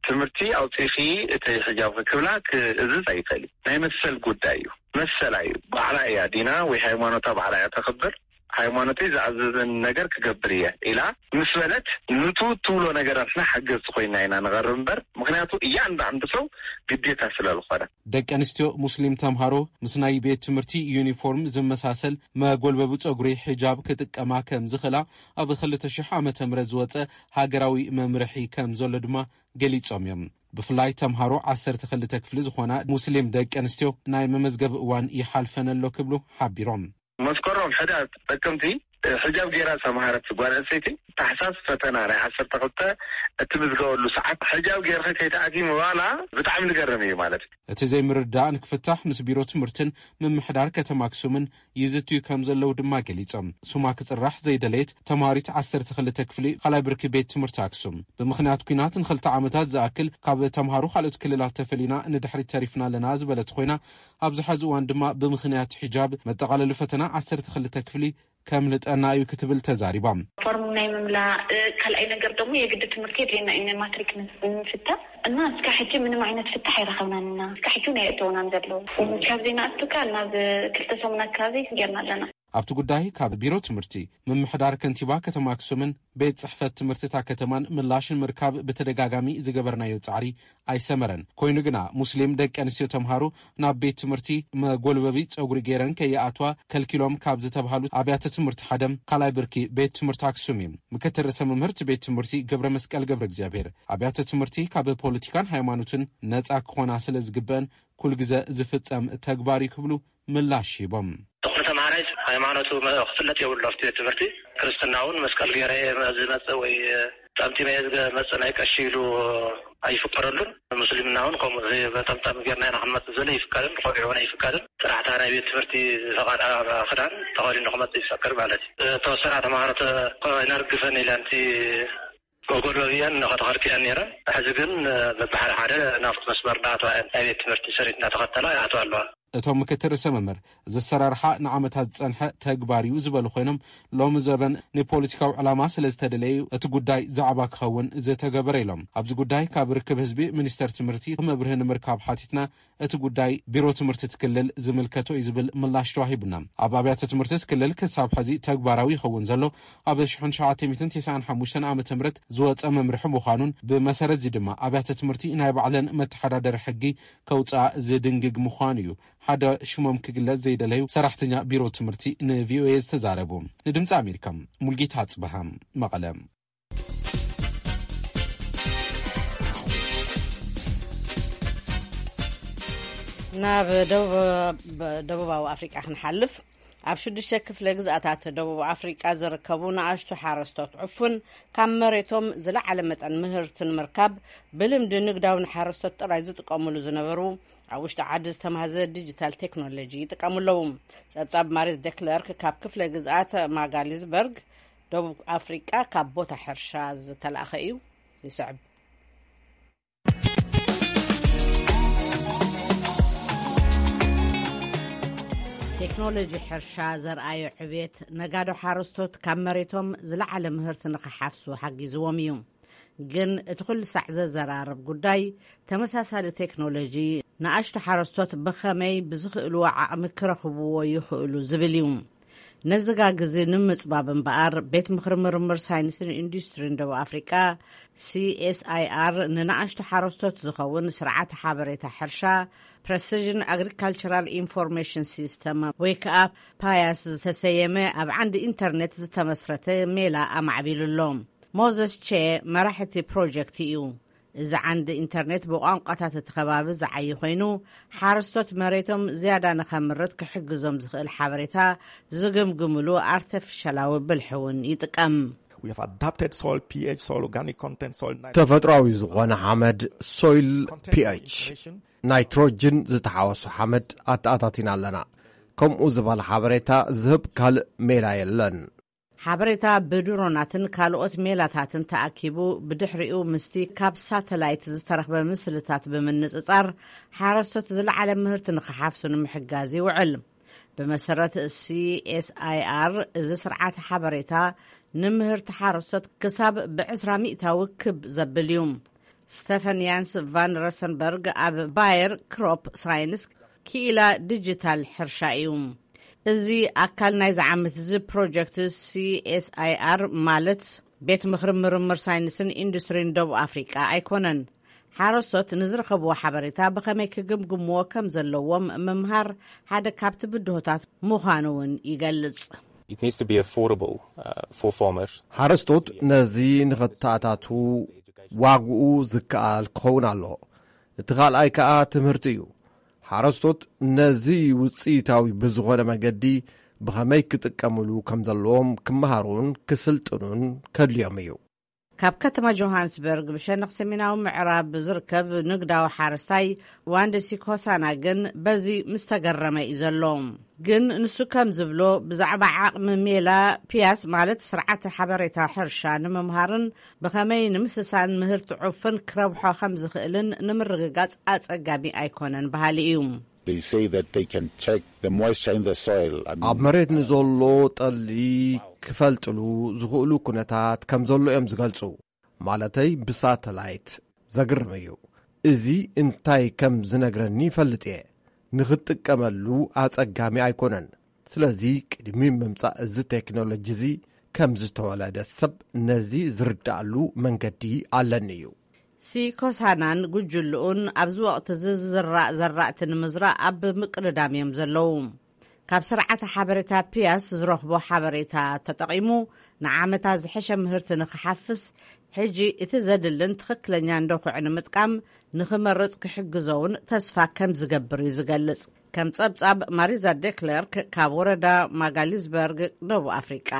ትምህርቲ ኣውፂእኺ እቲ ሕጃብ ክብላ ክእዝዝ ኣይኽእል እዩ። ናይ መሰል ጉዳይ እዩ። መሰላ እዩ። ባዕላ እያ ዲና ወይ ሃይማኖታ ባዕላ እያ ተኽብር። ሃይማኖተይ ዝኣዘዘን ነገር ክገብር እየ ኢላ ምስ በለት፣ ንቱ ትብሎ ነገራትና ሓገዝቲ ኮይና ኢና ንቐርብ እምበር፣ ምኽንያቱ እያንዳንዱ ሰው ግዴታ ስለ ዝኾነ። ደቂ ኣንስትዮ ሙስሊም ተምሃሮ ምስ ናይ ቤት ትምህርቲ ዩኒፎርም ዝመሳሰል መጎልበቢ ጸጉሪ ሒጃብ ክጥቀማ ከም ዝኽእላ ኣብ ክልተ ሽሕ ዓመተ ምህረት ዝወጸ ሃገራዊ መምርሒ ከም ዘሎ ድማ ገሊጾም እዮም። ብፍላይ ተምሃሮ ዓሰርተ ክልተ ክፍሊ ዝኾና ሙስሊም ደቂ ኣንስትዮ ናይ መመዝገቢ እዋን ይሓልፈን ኣሎ ክብሉ ሓቢሮም። መስከረም ሕዳር ጥቅምቲ ሕጃብ ገይራ ዝተምሃረት ጓል ኣንስተይቲ ታሕሳስ ፈተና ናይ ዓሰርተ ክልተ እትምዝገበሉ ሰዓት ሕጃብ ገይርኺ ከይትኣትዪ ምባላ ብጣዕሚ ዝገርም እዩ ማለት እዩ። እቲ ዘይምርዳእ ንክፍታሕ ምስ ቢሮ ትምህርትን ምምሕዳር ከተማ ኣክሱምን ይዝትዩ ከም ዘለዉ ድማ ገሊጾም። ስማ ክጽራሕ ዘይደለየት ተምሃሪት ዓሰርተ ክልተ ክፍሊ ካልኣይ ብርኪ ቤት ትምህርቲ ኣክሱም፣ ብምኽንያት ኲናት ንኽልተ ዓመታት ዝኣክል ካብ ተምሃሮ ካልኦት ክልላት ተፈሊና ንድሕሪት ተሪፍና ኣለና ዝበለት ኮይና፣ ኣብዚ ሐዚ እዋን ድማ ብምኽንያት ሒጃብ መጠቓለሊ ፈተና ዓሰርተ ክልተ ክፍሊ ከምልጠና እዩ ክትብል ተዛሪባ። ፎርም ናይ ምምላእ፣ ካልኣይ ነገር ደግሞ የግዲ ትምህርቲ የድልየና እዩ፣ ናይ ማትሪክ ንምፍታን እና እስካ ሕጂ ምንም ዓይነት ፍታሕ ኣይረኸብናን እና እስካ ሕጂ እውን ኣየእተውናን ዘለዉ። ካብ ዘይንኣቱ ካብ ናብ ክልተ ሰሙን ኣካባቢ ጌርና ኣለና። ኣብቲ ጉዳይ ካብ ቢሮ ትምህርቲ፣ ምምሕዳር ከንቲባ ከተማ ኣክሱምን ቤት ጽሕፈት ትምህርቲ እታ ከተማን ምላሽ ንምርካብ ብተደጋጋሚ ዝገበርናዮ ጻዕሪ ኣይሰመረን። ኮይኑ ግና፣ ሙስሊም ደቂ ኣንስትዮ ተምሃሮ ናብ ቤት ትምህርቲ መጎልበቢ ጸጉሪ ገይረን ከይኣትዋ ከልኪሎም ካብ ዝተባህሉ ኣብያተ ትምህርቲ ሓደ ካልኣይ ብርኪ ቤት ትምህርቲ ኣክሱም እዩ። ምክትል ርእሰ መምህር እቲ ቤት ትምህርቲ ገብረ መስቀል ገብረ እግዚኣብሔር፣ ኣብያተ ትምህርቲ ካብ ፖለቲካን ሃይማኖትን ነጻ ክኾና ስለ ዝግበአን ኩል ግዘ ዝፍጸም ተግባር እዩ ክብሉ ምላሽ ሂቦም። ዝኾነ ተምሃራይ ሃይማኖቱ መ-፣ ክፍለጥ የብሉ። ኣብቲ ቤት ትምህርቲ ክርስትና እውን መስቀል ገይረ እየ ዝመጽእ ወይ ጠምጢመ እየ ዝመጽእ ናይ ቀሺ ኢሉ ኣይፍቀደሉን። ሙስሊምና እውን ከምኡ ጠምጣም ገይርና ኢና ክንመጽእ ዝብል ኣይፍቀድን፣ ቆቢዕ እውን ኣይፍቀድን። ጥራሕ እታ ናይ ቤት ትምህርቲ ዝፈቐዳ ክዳን ተኸዲኑ ክመጽእ ይፈቅድ ማለት እዩ። ተወሰና ተምሃሮ ተ-፣ ኣይነርግፈን ኢለን እቲ መጎልበቢያን ከተኸልክለን ነይረን። ሕዚ ግን በብሓደ ሓደ ናብቲ መስመር እናኣተዋ እየን። ናይ ቤት ትምህርቲ ስሪት እናተኸተላ ይኣተዋ ኣለዋ። እቶም ምክትል ርእሰ መምህር፣ እዚ ኣሰራርሓ ንዓመታት ዝጸንሐ ተግባር እዩ ዝበሉ ኮይኖም፣ ሎሚ ዘበን ንፖለቲካዊ ዕላማ ስለ ዝተደለየ እዩ እቲ ጉዳይ ዛዕባ ክኸውን ዝተገበረ ኢሎም። ኣብዚ ጉዳይ ካብ ርክብ ህዝቢ ሚኒስተር ትምህርቲ መብርሂ ንምርካብ ሓቲትና፣ እቲ ጉዳይ ቢሮ ትምህርቲ እቲ ክልል ዝምልከቶ እዩ ዝብል ምላሽ ተዋሂቡና። ኣብ ኣብያተ ትምህርቲ እቲ ክልል ክሳብ ሕዚ ተግባራዊ ይኸውን ዘሎ ኣብ ሽሕን ትሽዓተ ሚእትን ተስዓን ሓሙሽተን ዓመተ ምህረት ዝወጸ መምርሒ ምዃኑን፣ ብመሰረት እዚ ድማ ኣብያተ ትምህርቲ ናይ ባዕለን መተሓዳደሪ ሕጊ ከውጽኣ ዝድንግግ ምዃኑ እዩ ሓደ ሽሞም ክግለጽ ዘይደለዩ ሰራሕተኛ ቢሮ ትምህርቲ ንቪኦኤ ዝተዛረቡ። ንድምጺ ኣሜሪካ፣ ሙልጌታ ኣጽበሃ፣ መቐለ። ናብ ደቡብ-፣ ደቡባዊ ኣፍሪቃ ክንሓልፍ። ኣብ ሽዱሽተ ክፍለ ግዝኣታት ደቡብ ኣፍሪቃ ዝርከቡ ንኣሽቱ ሓረስቶት ዕፉን ካብ መሬቶም ዝለዓለ መጠን ምህርቲ ንምርካብ ብልምዲ ንግዳዊ ንሓረስቶት ጥራይ ዝጥቀሙሉ ዝነበሩ ኣብ ውሽጢ ዓዲ ዝተማህዘ ዲጂታል ቴክኖሎጂ ይጥቀሙ ኣለዉ። ጸብጻብ ማሪስ ደክለርክ ካብ ክፍለ ግዝኣት ማጋሊዝበርግ ደቡብ ኣፍሪቃ ካብ ቦታ ሕርሻ ዝተላእኸ እዩ። ይስዕብ። ቴክኖሎጂ ሕርሻ ዘርኣዮ ዕብየት፣ ነጋዶ ሓረስቶት ካብ መሬቶም ዝለዓለ ምህርቲ ንኽሓፍሱ ሓጊዝዎም እዩ። ግን እቲ ኩሉ ሳዕ ዘዘራርብ ጉዳይ፣ ተመሳሳሊ ቴክኖሎጂ ንኣሽቱ ሓረስቶት ብኸመይ ብዝኽእልዎ ዓቕሚ ክረኽብዎ ይኽእሉ ዝብል እዩ። ነዚ ጋግ እዚ ንምጽባብ እምበኣር፣ ቤት ምኽሪ ምርምር ሳይንስን ኢንዱስትሪን ደቡብ ኣፍሪቃ፣ ሲ ኤስ ኣይ ኣር፣ ንንኣሽቱ ሓረስቶት ዝኸውን ስርዓተ ሓበሬታ ሕርሻ፣ ፕረሲዥን ኣግሪካልቸራል ኢንፎርሜሽን ሲስተም፣ ወይ ከኣ ፓያስ ዝተሰየመ ኣብ ዓንዲ ኢንተርኔት ዝተመስረተ ሜላ ኣማዕቢሉ ኣሎ። ሞዘስ ቼ መራሕ እቲ ፕሮጀክት እዩ። እዚ ዓንዲ ኢንተርኔት ብቋንቋታት እቲ ከባቢ ዝዓዪ ኮይኑ፣ ሓረስቶት መሬቶም ዝያዳ ንኸምርት ክሕግዞም ዝኽእል ሓበሬታ ዝግምግምሉ ኣርተፊሻላዊ ብልሒ እውን ይጥቀም። We have adapted soil ፒ ኤች፣ soil organic content, soil nitrogen። ተፈጥሯዊ ዝኾነ ሓመድ፣ ሶይል ፒ ኤች፣ ናይትሮጅን ዝተሓወሶ ሓመድ ኣተኣታቲና ኣለና። ከምኡ ዝበለ ሓበሬታ ዝህብ ካልእ ሜላ የለን። ሓበሬታ ብድሮናትን ካልኦት ሜላታትን ተኣኪቡ፣ ብድሕሪኡ ምስቲ ካብ ሳተላይት ዝተረኽበ ምስልታት ብምንጽጻር፣ ሓረስቶት ዝለዓለ ምህርቲ ንኽሓፍሱ ንምሕጋዝ ይውዕል። ብመሰረት ሲ ኤስ ኣይ ኣር፣ እዚ ስርዓት ሓበሬታ ንምህርቲ ሓረስቶት ክሳብ ብዕስራ ሚእታዊ ክብ ዘብል እዩ። ስቴፈን ያንስ ቫን ረሰንበርግ ኣብ ባየር ክሮፕ ሳይንስ ክኢላ ዲጂታል ሕርሻ እዩ። እዚ ኣካል ናይዚ ዓመት እዚ ፕሮጀክት ሲ ኤስ ኣይ ኣር፣ ማለት ቤት ምኽሪ ምርምር ሳይንስን ኢንዱስትሪን ደቡብ ኣፍሪቃ ኣይኮነን። ሓረስቶት ንዝረኸብዎ ሓበሬታ ብኸመይ ክግምግምዎ ከም ዘለዎም ምምሃር ሓደ ካብቲ ብድሆታት ምዃኑ እውን ይገልጽ። It needs to be affordable, uh, for farmers። ሓረስቶት ነዚ ንኸተኣታቱ ዋግኡ ዝከኣል ክኸውን ኣለዎ። እቲ ካልኣይ ከኣ ትምህርቲ እዩ። ሓረስቶት ነዚ ውጽኢታዊ ብዝኾነ መገዲ ብኸመይ ክጥቀምሉ ከም ዘለዎም ክመሃሩን ክስልጥኑን ከድልዮም እዩ። ካብ ከተማ ጆሃንስበርግ ብሸነኽ ሰሜናዊ ምዕራብ ዝርከብ ንግዳዊ ሓረስታይ ዋንደሲ ኮሳና ግን በዚ ምስ ተገረመ እዩ ዘሎ። ግን ንሱ ከም ዝብሎ፣ ብዛዕባ ዓቕሚ ሜላ ፒያስ፣ ማለት ስርዓተ ሓበሬታ ሕርሻ ንምምሃርን ብኸመይ ንምስሳን ምህርቲ ዑፍን ክረብሖ ከም ዝኽእልን ንምርግጋጽ ኣጸጋሚ ኣይኮነን በሃሊ እዩ። They say that they can check the moisture in the soil. I mean, ኣብ መሬት ንዘሎ ጠሊ ክፈልጥሉ ዝኽእሉ ኩነታት ከም ዘሎ እዮም ዝገልጹ። ማለተይ ብሳተላይት። ዘግርም እዩ። እዚ እንታይ ከም ዝነግረኒ ይፈልጥ እየ። ንኽጥቀመሉ ኣጸጋሚ ኣይኮነን። ስለዚ ቅድሚ ምምጻእ እዚ ቴክኖሎጂ እዚ ከም ዝተወለደ ሰብ ነዚ ዝርዳኣሉ መንገዲ ኣለኒ እዩ። ሲኮሳናን ጉጅልኡን ኣብዚ ወቕቲ እዚ ዝዝራእ ዘራእቲ ንምዝራእ ኣብ ምቅድዳም እዮም ዘለዉ። ካብ ስርዓተ ሓበሬታ ፒያስ ዝረኽቦ ሓበሬታ ተጠቒሙ ንዓመታ ዝሐሸ ምህርቲ ንክሓፍስ ሕጂ እቲ ዘድልን ትኽክለኛ እንደኹዕ ንምጥቃም ንክመርጽ ክሕግዞውን ተስፋ ከም ዝገብር እዩ ዝገልጽ። ከም ጸብጻብ ማሪዛ ዴክለርክ ካብ ወረዳ ማጋሊዝበርግ ደቡብ ኣፍሪቃ።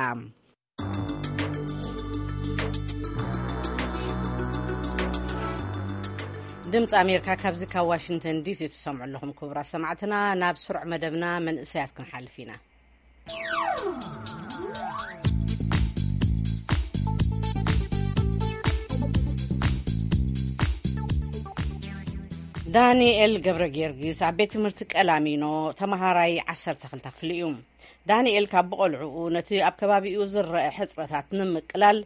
ድምፂ ኣሜሪካ ካብዚ ካብ ዋሽንግተን ዲሲ ትሰምዑ ኣለኹም። ክቡራት ሰማዕትና፣ ናብ ስሩዕ መደብና መንእሰያት ክንሓልፍ ኢና። ዳንኤል ገብረ ጊዮርጊስ ኣብ ቤት ትምህርቲ ቀላሚኖ ተመሃራይ ዓሰርተ ክልተ ክፍሊ እዩ። ዳንኤል ካብ ብቆልዕኡ ነቲ ኣብ ከባቢኡ ዝረአ ሕጽረታት ንምቅላል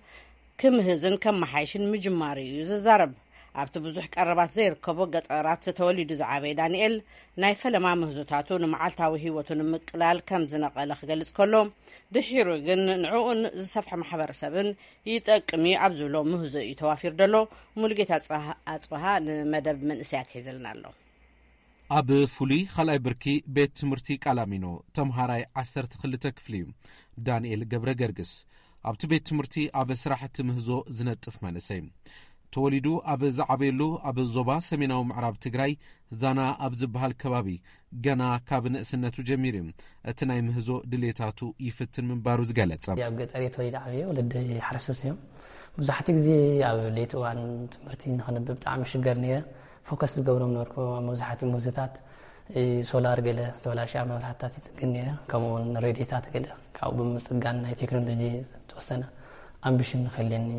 ክምህዝን ከመሓይሽን ምጅማሩ እዩ ዝዛረብ። ኣብቲ ብዙሕ ቀረባት ዘይርከቦ ገጠራት ተወሊዱ ዝዓበየ ዳንኤል፣ ናይ ፈለማ ምህዞታቱ ንመዓልታዊ ህይወቱ ንምቅላል ከም ዝነቐለ ክገልጽ ከሎ፣ ድሒሩ ግን ንዕኡን ዝሰፍሐ ማሕበረሰብን ይጠቅም እዩ ኣብ ዝብሎ ምህዞ እዩ ተዋፊሩ ዘሎ። ሙሉጌታ ኣጽብሃ ንመደብ መንእሰያት ሒዝልና ኣሎ። ኣብ ፍሉይ ካልኣይ ብርኪ ቤት ትምህርቲ ቃላሚኖ ተምሃራይ ዓሰርተ ክልተ ክፍሊ እዩ ዳንኤል ገብረ ገርግስ። ኣብቲ ቤት ትምህርቲ ኣብ ስራሕቲ ምህዞ ዝነጥፍ መንእሰይ፣ ተወሊዱ ኣብ ዝዓበየሉ ኣብ ዞባ ሰሜናዊ ምዕራብ ትግራይ ዛና ኣብ ዝበሃል ከባቢ ገና ካብ ንእስነቱ ጀሚሩ እቲ ናይ ምህዞ ድሌታቱ ይፍትን ምንባሩ ዝገለጸ። ኣብ ገጠር እየ ተወሊደ ዓብየ፣ ወለደይ ሓረስቶት እዮም። ብዙሓት ግዜ ኣብ ለይቲ እዋን ትምህርቲ ንኸንብብ ብጣዕሚ ሽገር ነየ። ፎከስ ዝገብሮም ነበርኩ። መብዛሕትኡ ምህዞታት ሶላር፣ ገለ ዝተበላሸ መብራህትታት ይፅግን ነየ። ከምኡ እውን ሬድዮታት ገለ ካብኡ ብምፅጋን ናይ ቴክኖሎጂ ዝተወሰነ ኣምቢሽን ንክህልየኒ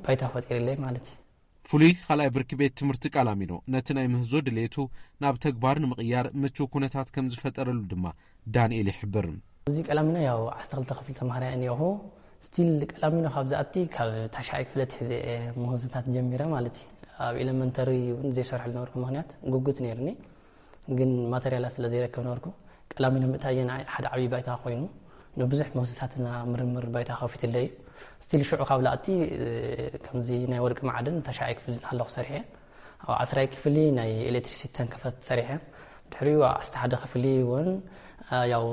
ባይታ ፈጢርለይ ማለት እዩ። ፍሉይ ካልኣይ ብርኪ ቤት ትምህርቲ ቃላሚኖ ነቲ ናይ ምህዞ ድሌቱ ናብ ተግባር ንምቕያር ምቹው ኩነታት ከም ዝፈጠረሉ ድማ ዳንኤል ይሕብር። እዚ ቀላሚኖ ያው ዓሰርተ ክልተ ክፍሊ ተምሃራይ እኒኦኹ። ስቲል ቀላሚኖ ካብ ዝኣቲ ካብ ታሽዓይ ክፍለ ትሕዘ ምህዞታት ጀሚረ ማለት እዩ። ኣብ ኤሌመንተሪ እውን ዘይሰርሐ ዝነበርኩ ምክንያት ጉጉት ነይርኒ፣ ግን ማተሪያላት ስለ ዘይረከብ ነበርኩ። ቀላሚኖ ምእታየ ንዓይ ሓደ ዓብዪ ባይታ ኮይኑ ንብዙሕ ምህዞታትና ምርምር ባይታ ከፊትለይ እዩ። ስቲል ሽዑ ካብ ላእቲ ከምዚ ናይ ወርቂ ማዕድን ታሽዓይ ክፍሊ እናሃለኹ ሰሪሐ። ኣብ ዓስራይ ክፍሊ ናይ ኤሌክትሪሲቲ ተንከፈት ሰሪሐ። ድሕሪኡ ኣብ ዓሰርተ ሓደ ክፍሊ እውን ያው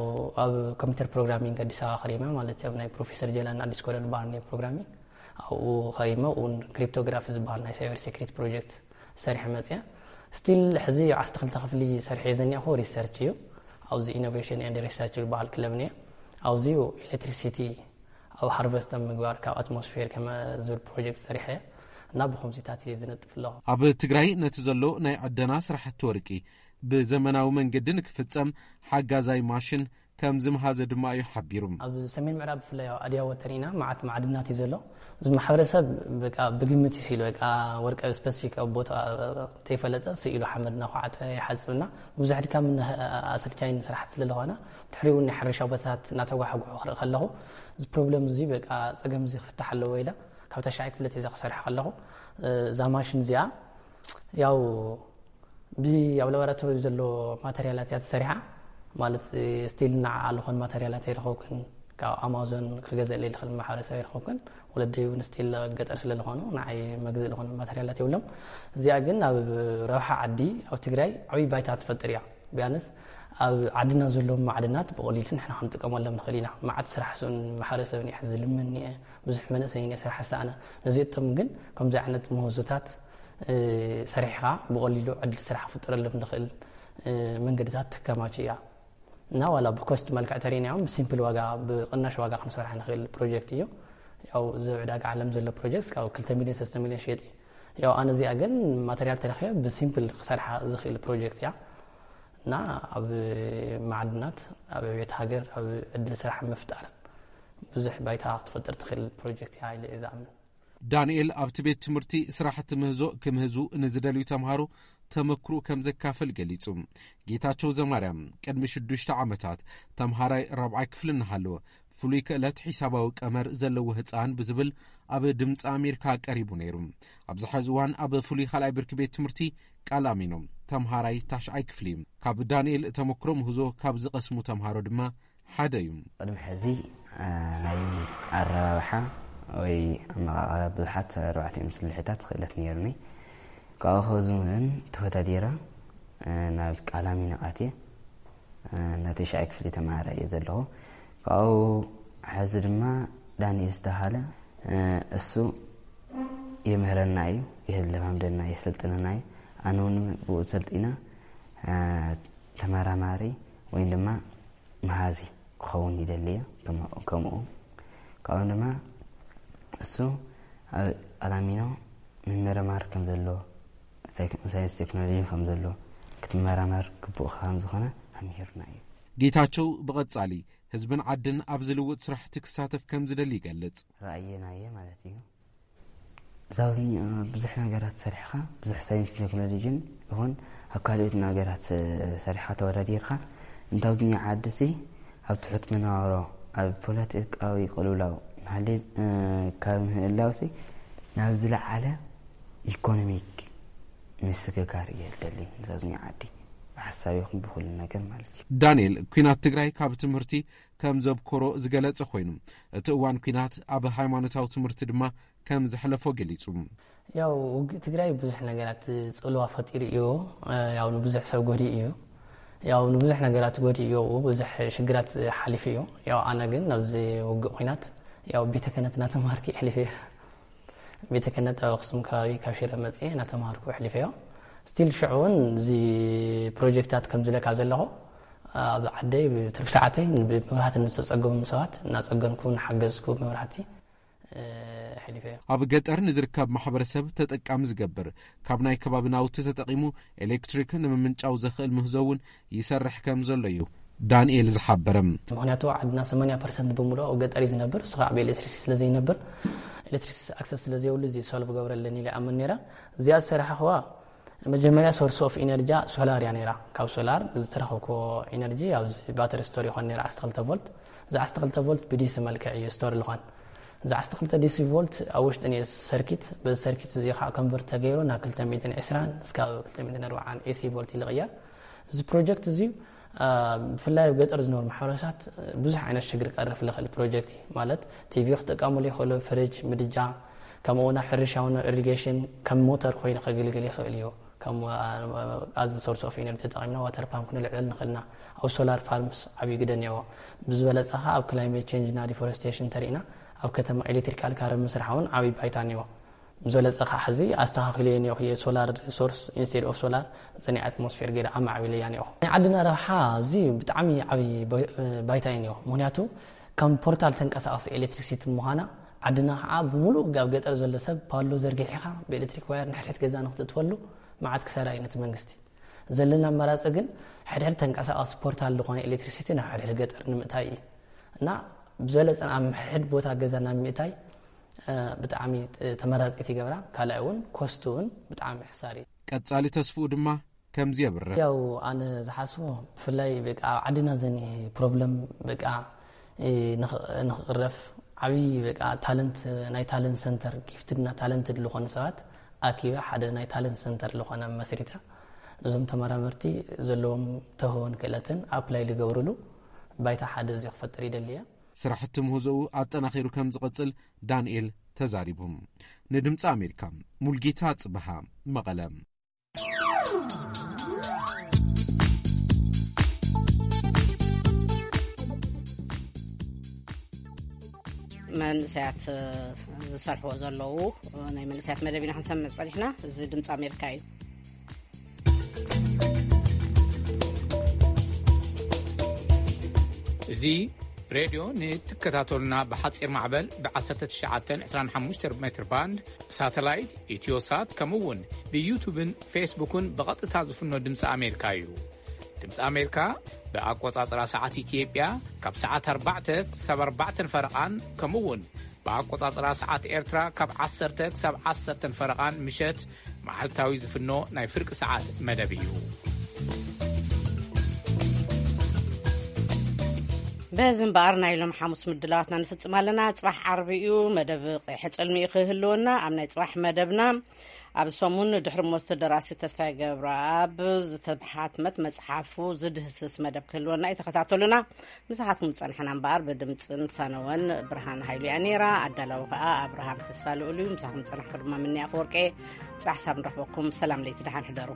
ኣብ ኮምፒውተር ፕሮግራሚንግ ኣዲስ ኣበባ ከሪመ ማለት እዩ። ኣብ ናይ ፕሮፌሰር ጀላን ኣዲስ ኮለል በሃል ናይ ፕሮግራሚንግ ኣብኡ ከሪመ እውን ክሪፕቶግራፊ ዝበሃል ናይ ሳይበር ሴኩሪቲ ፕሮጀክት ሰሪሐ መፅያ። ስቲል ሕዚ ዓሰርተ ክልተ ክፍሊ ሰሪሐ ዘኒኣኹ ሪሰርች እዩ። ኣብዚ ኢኖቬሽን ኤንድ ሪሰርች ዝበሃል ክለብ እኒአ። ኣብዚ ኤሌክትሪሲቲ ኣብ ሃርቨስት ኣብ ምግባር ካብ ኣትሞስፌር ከመ ዝብል ፕሮጀክት ሰሪሐ እና ብኸምዚታት እየ ዝነጥፍ ኣለኹ። ኣብ ትግራይ ነቲ ዘሎ ናይ ዕደና ስራሕቲ ወርቂ ብዘመናዊ መንገዲ ንክፍጸም ሓጋዛይ ማሽን ከም ዝምሃዘ ድማ እዩ ሓቢሩ። ኣብ ሰሜን ምዕራብ ብፍላይ ኣብ ኣድያቦ ተሪእና መዓት ማዕድናት እዩ ዘሎ። እዚ ማሕበረሰብ በቃ ብግምት እዩ ስኢሉ፣ በቃ ወርቂ ስፐሲፊክ ኣብ ቦታ ተይፈለጠ ስኢሉ ሓመድ እናኳዓተ ይሓፅብና። ብዙሕ ድካም ኣሰልቻይን ስራሕቲ ስለዝኾነ ድሕሪኡ እውን ናይ ሕርሻ ቦታታት እናተጓሓጉሑ ክርኢ ከለኹ እዚ ፕሮብለም እዚ በቃ ፀገም እዚ ክፍታሕ ኣለዎ ኢለ ካብ ታሽዓይ ክፍለ ሒዘ ክሰርሕ ከለኹ እዛ ማሽን እዚኣ ያው ብ ኣብ ላቦራቶሪ ዘሎ ማተርያላት እያ ተሰሪሓ። ማለት ስቲል ንዓኣ ዝኾን ማተርያላት ኣይረኸብኩን። ካብ ኣማዞን ክገዝእለይ ዝኽእል ማሕበረሰብ ኣይረኸብኩን። ወለደይ እውን ስቲል ኣብ ገጠር ስለ ዝኾኑ ንዓይ መግዝእ ዝኾነ ማተርያላት የብሎም። እዚኣ ግን ኣብ ረብሓ ዓዲ ኣብ ትግራይ ዓብዪ ባይታ ትፈጥር እያ። ቢያንስ ኣብ ዓድና ዘለዉ ማዕድናት ብቐሊሉ ንሕና ክንጥቀመሎም ንኽእል ኢና። መዓት ስራሕ ስኡን ማሕበረሰብ እኒአ፣ ሕዚ ዝልምን እኒአ፣ ብዙሕ መንእሰይ እኒአ ስራሕ ዝሰኣነ። ነዚኣቶም ግን ከምዚ ዓይነት ምህዞታት ሰሪሕኻ ብቐሊሉ ዕድል ስራሕ ክፍጠረሎም ንኽእል መንገድታት ትከማች እያ እና ዋላ ብኮስት መልክዕ ተሪእናዮም ብሲምፕል ዋጋ ብቕናሽ ዋጋ ክንሰርሕ ንኽእል ፕሮጀክት እዩ። ያው እዚ ዕዳጋ ዓለም ዘሎ ፕሮጀክት ካብ ክልተ ሚሊዮን ሰለስተ ሚሊዮን ሽየጥ እዩ። ያው ኣነ እዚኣ ግን ማተርያል ተረኺበ ብሲምፕል ክሰርሓ ዝኽእል ፕሮጀክት እያ እና ኣብ ማዕድናት ኣብ ዕቤት ሃገር ኣብ ዕድል ስራሕ ምፍጣር ብዙሕ ባይታ ክትፈጥር ትኽእል ፕሮጀክት እያ ኢለ እየ ዝኣምን። ዳንኤል ኣብቲ ቤት ትምህርቲ ስራሕቲ ምህዞ ክምህዙ ንዝደልዩ ተምሃሮ ተመክሮ ከም ዘካፍል ገሊጹ። ጌታቸው ዘማርያም ቅድሚ ሽዱሽተ ዓመታት ተምሃራይ ራብዓይ ክፍሊ እናሃለወ ፍሉይ ክእለት ሒሳባዊ ቀመር ዘለዎ ህጻን ብዝብል ኣብ ድምፂ ኣሜሪካ ቀሪቡ ነይሩ። ኣብዚ ሐዚ እዋን ኣብ ፍሉይ ካልኣይ ብርኪ ቤት ትምህርቲ ቃላሚኖ ተምሃራይ ታሽዓይ ክፍሊ እዩ። ካብ ዳንኤል ተመክሮ ምህዞ ካብ ዝቐስሙ ተምሃሮ ድማ ሓደ እዩ። ቅድሚ ሕዚ፣ እ፣ ናይ ኣረባብሓ ወይ ኣመቓቕራ ብዙሓት ኣርባዕቲኦም ስልሒታት ክእለት ነይሩኒ። ካብኡ ከዚ እውን ተወዳዲረ፣ እ፣ ናብ ቃላሚኖ ኣትየ፣ እ፣ ናይ ተሽዓይ ክፍሊ ተምሃራይ እየ ዘለኹ። ካብኡ ሕዚ ድማ ዳንኤል ዝተባሃለ፣ እ፣ እሱ የምህረና እዩ፣ የለማምደና፣ የሰልጥነና እዩ። ኣነ እውን ብኡ ሰልጢነ፣ እ፣ ተመራማሪ ወይ ድማ መሃዚ ክኸውን ይደሊ እየ። ከም-፣ ከምኡ ካብኡ ድማ እሱ ኣብ ኣላሚኖ ምምርማር ከም ዘሎ፣ ሳይክ-፣ ሳይንስ ቴክኖሎጂ ከም ዘሎ ክትመራመር ግቡእካ ከም ዝኾነ ኣምሂርና እዩ። ጌታቸው ብቐጻሊ ህዝብን ዓድን ኣብዚ ልውጥ ስራሕቲ ክሳተፍ ከም ዝደሊ ይገልጽ። ራእየና እየ ማለት እዩ። እዛ ኣብዚ ብዙሕ ነገራት ሰሪሕኻ፣ ብዙሕ ሳይንስ ቴክኖሎጂን ይኹን ኣብ ካልኦት ነገራት ሰሪሕኻ ተወዳዲርካ፣ እንታውዝኛ ዓዲ ሲ ኣብ ትሑት መነባብሮ፣ ኣብ ፖለቲካዊ ቅልውላው ናህሌ፣ እ፣ ካብ ምህላው ሲ ናብ ዝለዓለ ኢኮኖሚክ ምስግጋር እየ ደሊ። እንታውዝኛ ዓዲ ብሓሳብ ይኹን ብኹሉ ነገር ማለት እዩ። ዳንኤል፣ ኲናት ትግራይ ካብ ትምህርቲ ከም ዘብኮሮ ዝገለጸ ኮይኑ፣ እቲ እዋን ኲናት ኣብ ሃይማኖታዊ ትምህርቲ ድማ ከም ዘሕለፎ ገሊጹ። ያው ውግእ ትግራይ ብዙሕ ነገራት ጽልዋ ፈጢሩ እዩ። ያው ንብዙሕ ሰብ ጎዲኡ እዩ። ያው ንብዙሕ ነገራት ጎዲኡ እዩ። ብዙሕ ሽግራት ሓሊፉ እዩ። ያው ኣነ ግን ኣብዚ ውግእ ኲናት ያው ቤተ ክህነት እናተማሃርኩ የሕሊፈ እየ። ቤተ ክህነት ኣብ ኣኽሱም ከባቢ ካብ ሽረ መጽየ እናተማሃርኩ ኣሕሊፈዮ። ስቲል ሽዑ እውን እዚ ፕሮጀክታት ከም ዝለካ ዘለኹ ኣብ ዓደይ ብትርፊ ሰዓተይ ብመብራህቲ ንዝተጸገሙ ሰባት እናጸገንኩ እናሓገዝኩ መብራህቲ፣ እ፣ ኣሕሊፈዮ። ኣብ ገጠር ንዝርከብ ማሕበረሰብ ተጠቃሚ ዝገብር፣ ካብ ናይ ከባቢ ናውቲ ተጠቒሙ ኤሌክትሪክ ንምምንጫው ዘኽእል ምህዞ እውን ይሰርሕ ከም ዘሎ እዩ ዳንኤል ዝሓበረ። ምኽንያቱ ዓድና ሰማንያ ፐርሰንት ብምሉእ ኣብ ገጠር እዩ ዝነብር። እሱ ከዓ ብኤሌክትሪክሲቲ ስለ ዘይነብር፣ ኤሌክትሪክሲቲ ኣክሰስ ስለ ዘይብሉ፣ እዚ ሶልቭ ገብረለን ኢለ ኣምን ነይረ። እዚኣ ዝሰራሕኽዋ መጀመርያ ሶርስ ኦፍ ኢነርጂያ ሶላር እያ ነይራ። ካብ ሶላር ዝተረኸብክዎ ኢነርጂ ኣብዚ ባተሪ ስቶር ይኾን ነይራ፣ ዓሰርተ ክልተ ቮልት። እዚ ዓሰርተ ክልተ ቮልት ብዲሲ መልክዕ እዩ ስቶር ዝኾን። እዚ ዓሰርተ ክልተ ዲሲ ቮልት ኣብ ውሽጢ ነየ ሰርኪት፣ በዚ ሰርኪት እዚ ከዓ ኮንቨርት ተገይሩ ናብ ክልተ ሚእትን ዕስራን እስካብ ክልተ ሚእትን ኣርባዓን ኤሲ ቮልት ይልቕየር። እዚ ፕሮጀክት እዚ፣ አ፣ ብፍላይ ኣብ ገጠር ዝነብሩ ማሕበረሰባት ብዙሕ ዓይነት ሽግር ቀርፍ ዝኽእል ፕሮጀክት እዩ። ማለት ቲቪ ክጥቀሙሉ ይኽእሉ፣ ፍሪጅ፣ ምድጃ፣ ከምኡ እውን ኣብ ሕርሻ እውን ኢሪጌሽን ከም ሞተር ኮይኑ ከገልግል ይኽእል እዩ። ከም፣ አ፣ ኣዝ ሶርስ ኦፍ ኢነርጂ ተጠቒምና ዋተር ፓምፕ ክንልዕል ንኽእልና። ኣብ ሶላር ፋርምስ ዓብዪ ግደ እኒአዎ። ብዝበለፀ ኸዓ ኣብ ክላይሜት ቼንጅ እና ዲፎረስቴሽን ተሪእና ኣብ ከተማ ኤሌክትሪካል ካር ምስራሕ እውን ዓብዪ ባይታ እኒአዎ። ብዝበለፀ ኸዓ ሕዚ ኣስተኻኺለዮ እኒአኹ፣ የሶላር ሶርስ ኢንስቴድ ኦፍ ሶላር ዘኒ ኣትሞስፌር ገይረ ኣማዕቢለያ እኒአኹ። ናይ ዓድና ረብሓ እዚ ብጣዕሚ ዓብዪ ባይ-፣ ባይታ እዩ እኒኦ። ምኽንያቱ ከም ፖርታል ተንቀሳቐሲ ኤሌክትሪክሲቲ ምዃና፣ ዓድና ኸዓ ብምሉእ ኣብ ገጠር ዘሎ ሰብ ፓሎ ዘርጊሕኻ ብኤሌክትሪክ ዋየር ንሕድሕድ ገዛ ንክትእትወሉ መዓት ክሳራ እዩ ነቲ መንግስቲ። ዘለና ኣማራፂ ግን ሕድሕድ ተንቀሳቐሲ ፖርታል ዝኾነ ኤሌክትሪክሲቲ ናብ ሕድሕድ ገጠር ንምእታይ እዩ። እና ብዝበለፀ ኣብ ሕድሕድ ቦታ ገዛ ናብ ምእታይ፣ እ፣ ብጣዕሚ፣ እ፣ ተመራፂት ይገብራ። ካልኣይ እውን ኮስቱ እውን ብጣዕሚ ሕሳር እዩ። ቀጻሊ ተስፍኡ ድማ ከምዚ የብርህ። ያው ኣነ ዝሓስቦ ብፍላይ በቃ ኣብ ዓድና ዘኒ ፕሮብለም በቃ፣ እ፣ ንኽ-፣ ንኽቕረፍ ዓብዪ በቃ ታለንት፣ ናይ ታለንት ሰንተር፣ ጊፍትድ እና ታለንትድ ዝኾኑ ሰባት ኣኪበ ሓደ ናይ ታለንት ሰንተር ዝኾነ መስሪተ፣ ነዞም ተመራመርቲ ዘለዎም ተህዎን ክእለትን ኣፕላይ ዝገብሩሉ ባይታ ሓደ እዚ ክፈጥር ይደሊ እየ። ስራሕቲ ምህዞኡ ኣጠናኺሩ ከም ዝቐጽል ዳንኤል ተዛሪቡ። ንድምፂ ኣሜሪካ ሙልጌታ ጽበሃ፣ መቐለ። መንእሰያት ዝሰርሕዎ ዘለዉ ናይ መንእሰያት መደብ ኢና ክንሰምዕ ጸኒሕና። እዚ ድምፂ ኣሜሪካ እዩ። እዚ ሬድዮ ንትከታተሉና ብሓጺር ማዕበል ብ1925 ሜትር ባንድ፣ ብሳተላይት፣ ኢትዮሳት፣ ከምኡ እውን ብዩቱብን ፌስቡክን ብቐጥታ ዝፍኖ ድምፂ ኣሜሪካ እዩ። ድምፂ ኣሜሪካ ብኣቆጻጽራ ሰዓት ኢትዮጵያ ካብ ሰዓት ኣርባዕተ ክሳብ ኣርባዕተን ፈረቓን፣ ከምኡ እውን ብኣቆጻጽራ ሰዓት ኤርትራ ካብ ዓሰርተ ክሳብ ዓሰርተን ፈረቓን ምሸት መዓልታዊ ዝፍኖ ናይ ፍርቂ ሰዓት መደብ እዩ። በዚ እምበኣር ናይ ሎም ሓሙስ ምድላዋትና ንፍጽም ኣለና። ጽባሕ ዓርቢ እዩ፣ መደብ ቀይሐ ጸልሚ እዩ ክህልወና። ኣብ ናይ ጽባሕ መደብና ኣብ ሰሙን ድሕሪ ሞት ደራሲ ተስፋይ ገብረኣብ ዝተሓትመት መጽሓፉ ዝድህስስ መደብ ክህልወና እዩ። ተኸታተሉና። ምሳኻትኩም ዝጸንሐና እምበኣር ብድምጽን ፈነወን ብርሃን ሃይሉ እያ ነይራ። ኣዳላዊ ከኣ ኣብርሃም ተስፋ ልኡል እዩ። ምሳኹም ዝጸናሕኩ ድማ ምኒ ኣፈወርቄ። ጽባሕ ሳብ ንረኽበኩም። ሰላም ለይቲ፣ ደሓን ሕደሩ።